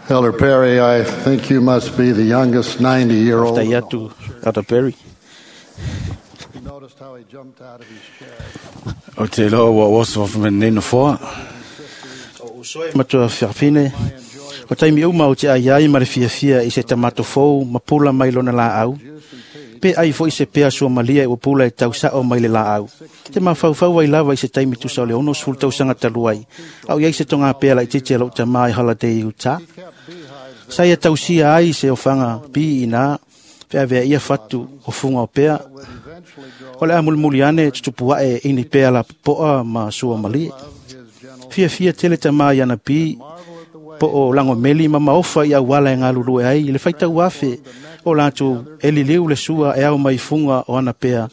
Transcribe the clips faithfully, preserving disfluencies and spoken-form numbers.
Elder Perry, I think you must be the youngest ninety-year-old. Tai atu Elder Perry. You noticed how he jumped out of his chair. O te loa ua oso whameneno foa. Matua fiafine. O taimi uma o te ai ai ma le fiafia i se tamato fou ma pula mai lona la au. Pe ai fo i se pea sua malia i pula e tau sao mai le la au. Te mafaufau ai lava i se taimi tusa o le ono sefulu tausaga talu ai. Au iai se tonga pea la i titi a lou tamā i Holiday Utah. Sa ia tausia ai se ofaga pi ina feavea ia fatu o fuga o pea. O le a mulimuli ane tutupu ae ini pea la popoa ma sua malie. Fiafia tele tamā i ana pi po o langomeli ma maofa i auala e galulue ai i le faitau afe o latou e liliu le sua e ao mai fuga o ana pea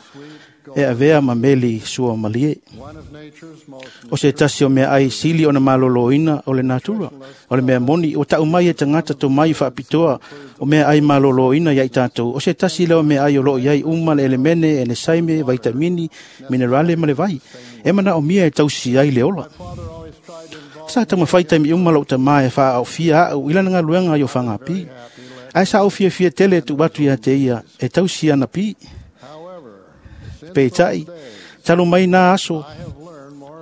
e avea ma meli sua malie. O se tasi o mea ai sili ona maloloina o le natura. O le mea moni o tau mai e tagata to mai faapitoa o mea ai maloloina ia i tatou. O se tasi lea o mea ai o loo iai uma le elemene, enesaime, vaitamini, minerale ma le vai. E manaomia e tausi ai le ola. Sa taumafai taimi uma lou tamā e faaaofia au i lana galuega i o fagapi. Ae sa ou fiafia tele e tuu atu ia te ia e tausi ana pi. Peitai, talu mai nā aso,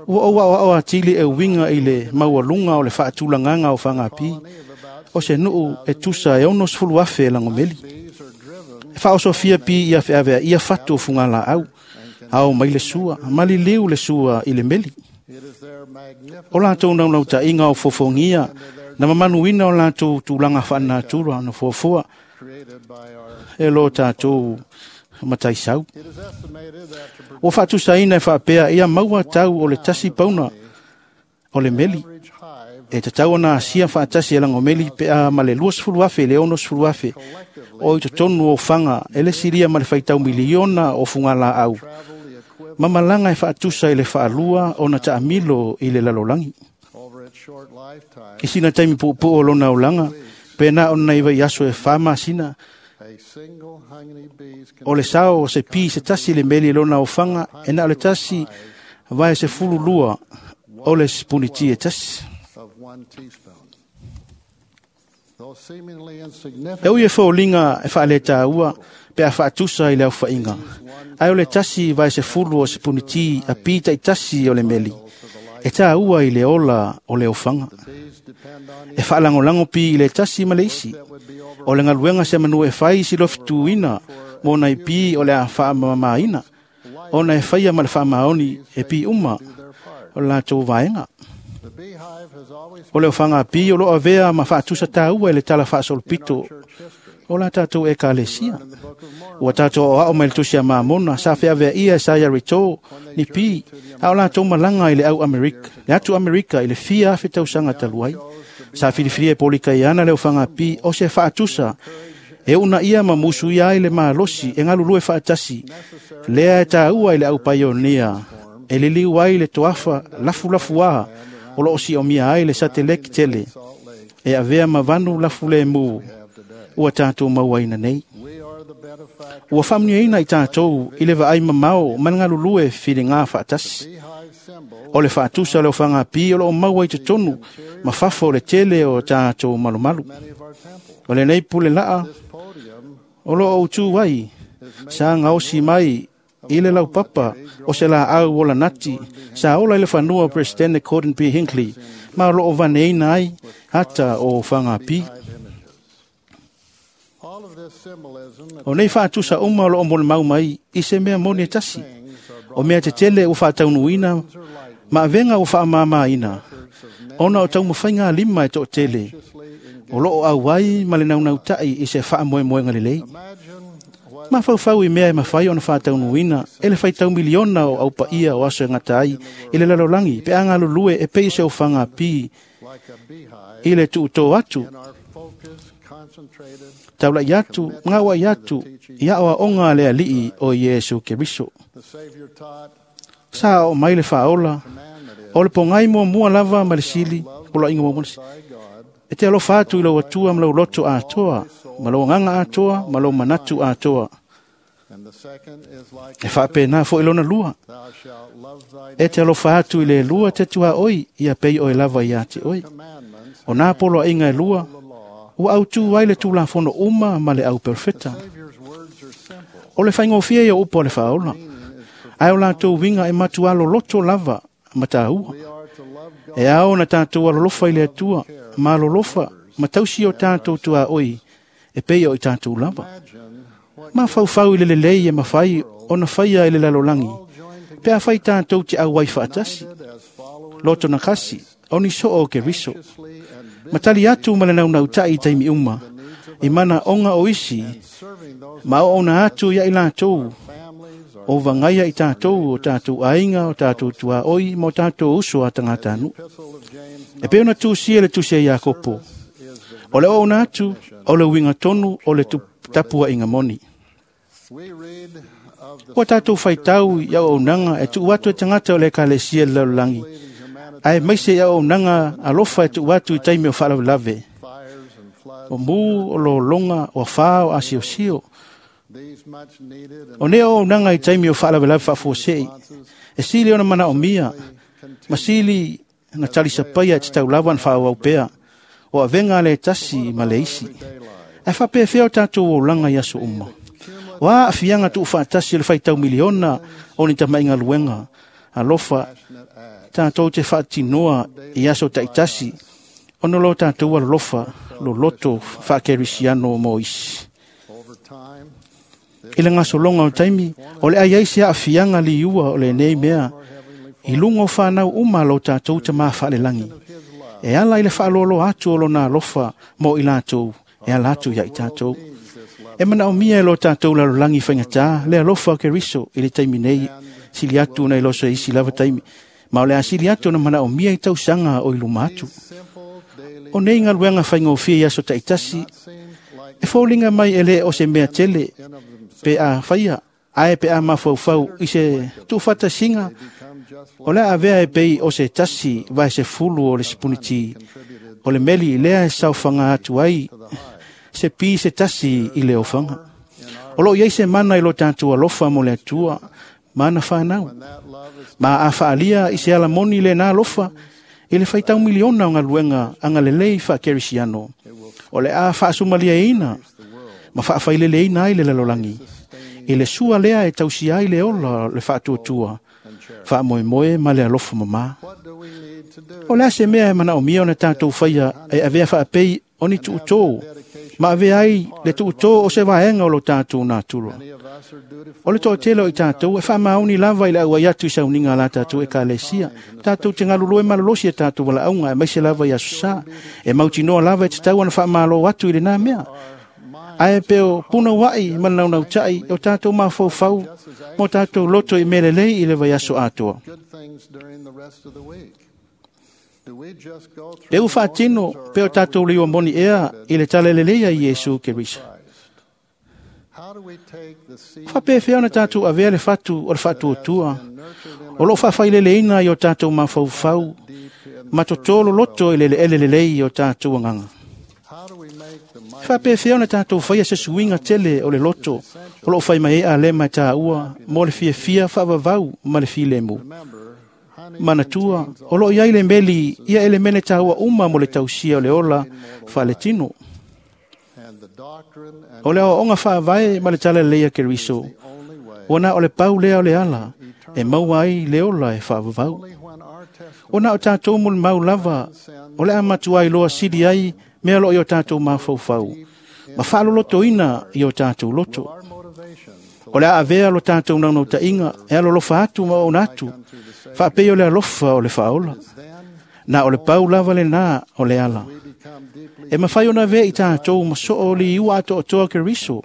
ua ou aoao atili e uiga i le maualuga o le faatulagaga o fagapi. O se nuu e tusa e ono sefulu afe e lagomeli. E faaosofia pi ia feavea ia fatu o fugalaau. Ao mai le sua, maliliu le sua i le meli. O latou naunautai o fofogia na mamanuina o latou tulaga faanatura na fuafua e lo tatou mataisau. Ua faatusaina e faapea ia maua tau o le tasi pauna o le meli. E tatau ona asia faatasi e lagomeli pe a ma le luasefulu afe le ono sefulu afe o i totonu o faga e le silia ma le faitau miliona o fugalaau. Mamalaga e faatusa i le faalua ona taamilo i le lalolagi. I sina taimi puupuu o lona olaga, pe na ona i vai aso e fa masina, o le sao o se pi se tasi le meli lona ofaga e na o le tasi vae se fulu lua o le sipuniti e tasi. E ui e foliga e faaletaua pe a faatusa i le aufaiga. Ae o le tasi vae se fulu o sipuniti a pi taitasi o le meli. E tāua i le ola o le ofaga. E faalagolago pi i le tasi ma le isi. O le galuega se manu e fai silofituina mo nai pi o le a faamamaina. Ona e faia ma le faamaoni e pi uma o le latou vaega. O le ofaga pi o loo avea ma faatusa tāua i le tala faasolopito o la tatou ekalesia. Ua tatou aoao mai le tusi a Mamona sa feavea ia e Saia Rito ni pi a o latou malaga i le au Amerika, le atu Amerika i le fia afe tausaga talu ai. Sa filifilia e Polikaiana le ofaga pi o se faatusa e una ia ma musuia ai le malosi e galulue faatasi lea e tāua i le au paionia e liliu ai le toafa lafulafuā o loo siomia ai le sateleki tele e avea ma vanu lafulemu ua tatou mauaina nei. Ua faamanuiaina i tatou i le vaai mamao ma le galulue filiga faatasi. O le faatusa o le ofaga pi o loo maua i totonu ma fafo o le tele o tatou malumalu. O lenei pule laa o loo outū ai sa gaosi mai i le laupapa o se laau o lanati sa ola i le fanua o Presidente Gordon B. Hinckley ma o loo vaneina ai ata o ofaga pi. O nei faatusa uma o loo molimau mai i se mea moni e tasi. O mea tetele ua faataunuuina ma avega ua faamamaina ona o taumafaiga lima e toatele o loo auai ma le naunautai i se faamoemoega lelei. Mafaufau i mea e mafai ona faataunuuina e le faitau miliona o aupaia o aso e gata ai i le lalolagi pe a galulue e pei se ofaga pi i le tuutō atu, taulai atu, gauai atu i aoaoga a le alii o Iesu Keriso. Sa oo mai le faaola o le pogai muamua lava ma le sili, poloaiga muamua le sili. E te alofa atu i lau atua ma lau loto atoa, ma lau agaga atoa, ma lau manatu atoa. E faapena foi lona lua. E te alofa atu i le lua te tua oi, ia pei oe lava ia te oi. O nā poloaiga e lua, Ua autu ai le tulafono uma ma le au perofeta. O le faigofie ia upu o le faaola, ae o latou uiga e matua loloto lava ma tāua. E ao na tātou alolofa i le Atua, ma alolofa ma tausi o tātou tuaoi, e pei o i tātou lava. Mafaufau i le lelei e mafai ona faia i le lalolagi, pe a fai tātou te auai faatasi, loto na kasi, o ni soo o Keriso. Matali atu ma le naunautai i taimi uma, i mana onga o isi, ma o ona atu ia i latou, o vangaia i tātou o tātou aiga, o tātou tuaoi, ma o tātou uso a tagata-nuu. E pei ona tusia le tusi a Iakopo, o le oona atu, o le uiga tonu o le tapuaiga moni. Ua tātou faitau i auaunaga e tuu atu e tagata o le ekalesia i le lalolagi, ae maise i auaunaga alofa e tuu atu i taimi o faalavelave, o mu, o lologa, o afā, o asiosio. O nei auaunaga i taimi o faalavelave faafuasei, e sili ona manaomia, ma sili na talisapaia e tatau lava na faaauau pea, o avega a le tasi ma le isi. Ae faapefea o tātou olaga i aso uma. O a aafiaga tuufaatasi o le faitau miliona o ni tamaigaluega alofa tātou te faatinoa i aso taitasi, ona lo tātou alolofa loloto faakerisiano mo isi. I le gasologa o taimi, o le ai ai se aafiaga liua o lenei mea, i luga o whanau uma lo tātou te mā whaalelangi. E ala i le whaalolo atu o lona alofa mo i lātou, e ala atu ia i tātou. E manaomia e lo tātou lalolagi faigata, le alofa o Keriso i le taimi nei, sili atu na i loso e isi lava taimi. Ma o le asili atu na manaomia i tausaga o i luma atu. O nei galuega faigofie i aso taitasi, e foliga mai e le o se mea tele, pe a faia, ae pe a mafaufau i se tuufatasiga, o le a avea e pei o se tasi vae se fulu o le sipuniti, o le meli lea e saofaga atu ai se pi se tasi i le ofaga. O loo iai se mana i lo tātou alofa mo le Atua, ma ana whanau. Ma a whaalia i se alamoni le nā alofa, i le faitau miliona o galuega agalelei faakerisiano. O le a faasumaliaina ma faafaileleina ai le lalolagi. I le sua lea e tausia ai le ola o le faatuatua, faamoemoe ma le alofa mamā. O le a se mea e manaomia ona tātou faia e avea faapei o ni tuutō, ma avea ai le tuutō o se vaega o lo tātou natura. O le toatele o i tātou e faamaoni lava i le auai atu i sauniga a la tātou ekalesia. Tātou te galulue malolosi e tātou valaauga e maise lava i aso sā. E mautinoa lava e tatau ona faamalo atu i lenā mea. Ae pe o punauai ma le naunautai o tātou mafaufau mo tātou loto i mea lelei i le vaiaso atoa. Pe ua faatino pe o tātou liua moni ea i le talalelei a Iesu Keriso. Faapefea ona tātou avea le fatu o le faatuatua, o loo faafaileleina i o tātou mafaufau, ma totolo loto i le eleele lelei i o tātou agaga. Faapefea ona tātou faia se suiga tele o le loto, o loo faimaea lema e tāua mo le fiafia faavavau ma le filemu. Manatua, o loo iai le meli ia elemene tāua uma mo le tausia o le ola faaletino. O le aoaoga faavae ma le talalelei a Keriso, ua na o le pau lea o le ala, e maua ai le ola e faavavau. O na o tātou molimau lava, o le a matua iloa sili ai mea loo i o tātou mafaufau, ma faalolotoina i o tātou loto. O le a avea lo tātou naunautaiga e alolofa atu ma oona atu, faapei o le alofa o le faaola. Na o le pau lava lenā o le ala. E mafai ona avea i tātou ma soo o liua atoatoa Keriso,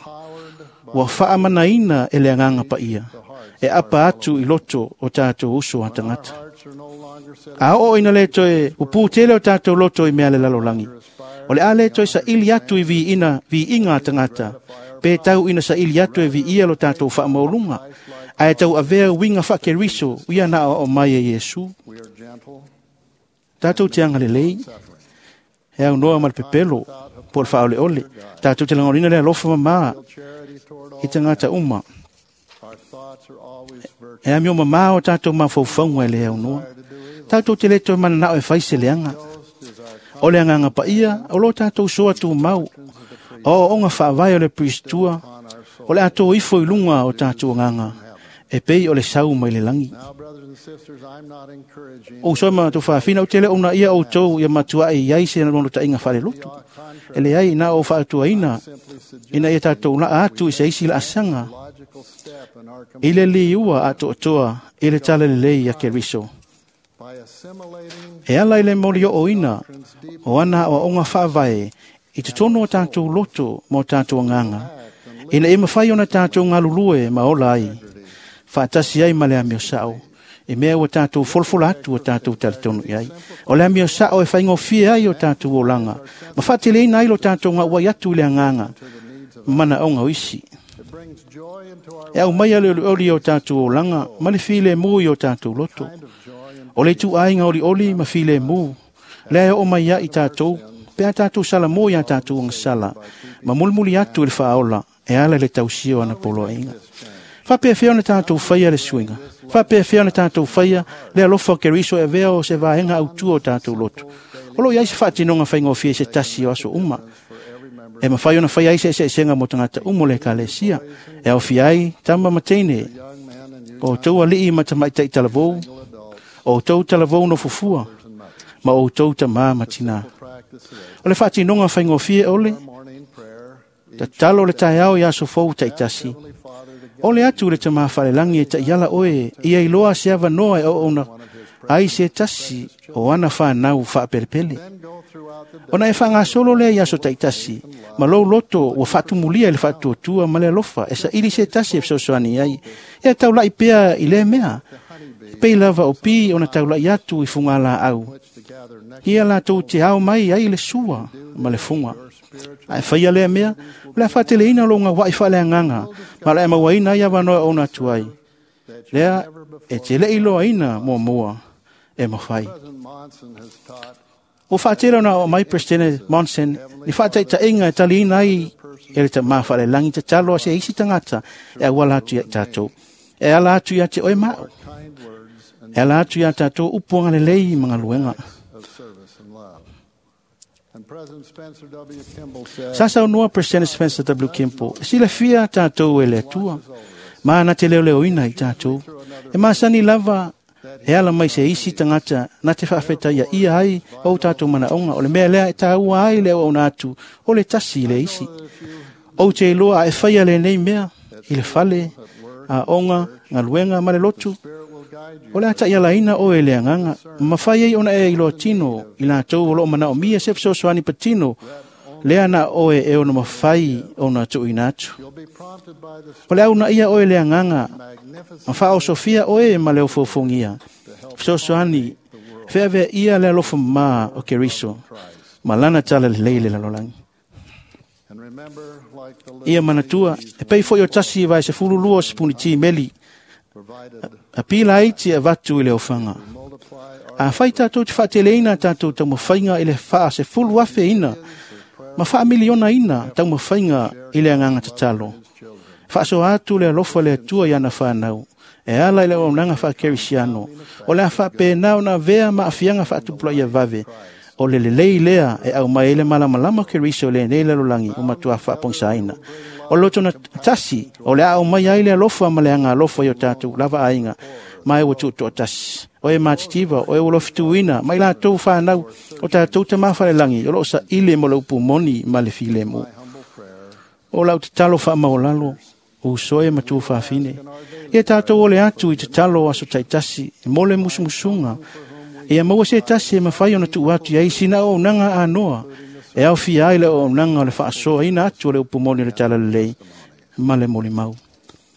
ua faamanaina e le agaga paia, e apa atu i loto o tātou uso a tagata. A oo ina le toe upū tele o tātou loto i mea le lalolagi. O le a le toe saili atu i viiina, viiga a tagata, pe tau ina saili atu e viia lo tātou faamauluga, ae tau avea uiga faakeriso ia na aoao mai e Iesu. Tātou te agalelei, e aunoa ma le pepelo, po o le faaoleole, tātou te lagolina le alofa mamā i tagata uma. E amio mamā o tātou mafaufauga e le aunoa. Tātou te le toe mananao e fai se leaga. O le agaga paia o lo tatou soa tumau, o aoaoga faavae o le Pristua, o le a ifo i luga o tatou agaga, e pei o le sau mai le lagi. Now, brothers and sisters, I'm not encouraging O uso ma tufafina o tele ona ia outou ia matuai i ai se nonotaʻiga faalelotu. E leai na o faatuaina ina ia tatou laa atu i se isi laasaga logical step in our i le liua atoatoa i le talalelei a Keriso. by assimilating E ala i le moliooina o ana aoaoga faavae i totonu o tatou loto ma o tatou agaga, ina ia mafai ona tatou galulue ma ola ai, faatasi ai ma le amio sao, i mea ua tatou folafola atu o tatou talitonu i ai. O le amio sao e faigofie ai o tatou olaga, ma faateleina ai lo tatou gauai atu i le agaga, manaoga o isi. it brings joy into our E aumai a le olioli o tatou olaga, ma le filemu i o tatou loto. kind of joy and O le ituaiga olioli ma filemu, lea e oo mai ai tatou, pe a tatou salamo ia tatou agasala, ma mulimuli atu i le faaola, e ala i le tausia o ana poloaiga. Faapefea ona tatou faia le suiga, faapefea ona tatou faia le alofa o Keriso e avea o se vaega autua o tatou loto. O loo i ai se faatinoga faigofie i se tasi o aso uma, e mafai ona faia ai se eseesega mo tagata uma o le ekalesia, e aofia ai tama ma teine, young men and youth o outou alii ma tamaitai talavou, adults o outou talavou no fufua, and mothers. ma outou tamā ma tinā. Practice it. O le faatinoga faigofie o le Morning prayer. tatalo le taeao i aso fou taitasi. Heavenly Father, to O le atu le tamā falelagi e taiala oe, ia iloa se avanoa e oouna, ai se tasi o ana whanau whaapelepele. then go throughout the day Ona e whangasolo lea i aso taitasi, ma lou loto ua faatumulia i le faatuatua ma le alofa, e saili se tasi e fesoasoani ai. Ia taulai pea i le mea, pei lava o pi ona taulai atu i funga laau. which to gather next Ia latou te ao mai ai le sua ma le funga. Ae faia lea mea, o le a faateleina lo ngā wai whaaleagaga, ma le mauaina ai avanoa ona atu ai. Lea e te lei loaina muamua e mawhai. President Monson has taught O whaatela na o mai President Monson, ni whaataitainga e taliina ai e le tamā whaalelangi te talo a se isi tangata e awala atu ia i tātou. E ala atu ia te oe mao. kind words and E ala atu ia tātou upuanga lelei ma ngaluenga. of service and love. And President Spencer W. Kimball said, Sa saunua President Spencer W. Kimball, e silafia tātou e le Atua, ma na te leoleoina i tātou. E masani lava e ala mai se isi tangata na te whaawheta ia ia ai o tātou manaonga. O le mea lea e tāua ai le o ona atu, o le tasi i le isi. O te iloa a e whaia le nei mea, i le fale, a onga, ngaluenga ma le lotu. Spirit will guide you O le ata ia laina o e le anganga, mawhai ai ona e iloa tino, i lātou o loo manao mia se fesoasoani patino, lea na oe e ona mawhai ona tuuina atu. You'll be prompted by the O le au na ia oe le anganga, magnificent ma whaosofia oe ma le ofofongia. Fesoasoani, feavea ia le alofa mā o Keriso, ma lana tala lelei le lalolagi. and remember like the Ia little manatua, e pei foi o tasi vai se fululua o sepuni ti meli, provided a pila aiti e vatu i le ofanga. multiply our A whai tātou te whaateleina tātou taumawhainga i le wha se fulu afe ina, ma wha miliona ina taumawhainga i le anganga tatalo. children. Whaaso atu le alofa le atua i ana whanau, e ala i le auaunaga faakerisiano, o le a faapena ona avea ma aafiaga faatupulaia vave, o le lelei lea e aumai ai le malamalama o Keriso i lenei lalolagi ua matuā faapogisaina. O le loto na tasi, o le a aumai ai le alofa ma le agalofa i o tatou lava aiga, ma e ua tuutoatasi. O e matitiva, o e ua lofituina, ma i latou whanau, o tatou tamā falelagi, o loo saili mo le upu moni ma le filemu. Humble prayer O lau tatalo faamaolalo, o uso e matua faafine. Ia tātou o le atu i tatalo o aso taitasi, e mo le musumusuga. Ia maua se tasi e mawhai ona tuu atu i ai sina o auaunaga anoa, e aofia ai le auaunaga o le faasoaina atu o le upu moni o le talalelei, ma le molimau.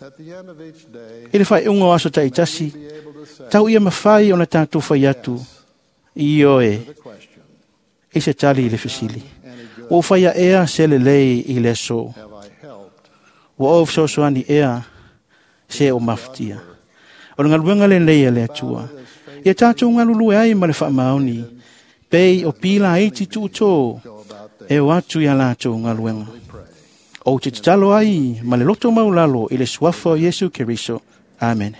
at the end of each day I le whaiunga o aso taitasi, be able to say tau ia mawhai ona tātou whai atu, i oe, the question i se tali i le fisili. any good Ua whaia ea se lelei i le aso. have I helped Ua o fesoasoani ea se o mafutia. O le ngaluenga lenei a le Atua. Ia tātou ngalulue ai ma le faamaoni, pei o pila aiti tuutō go about their e o atu ia lātou ngaluenga. pray. O te tatalo ai ma le loto maulalo i le suafa o Iesu Keriso. Amen.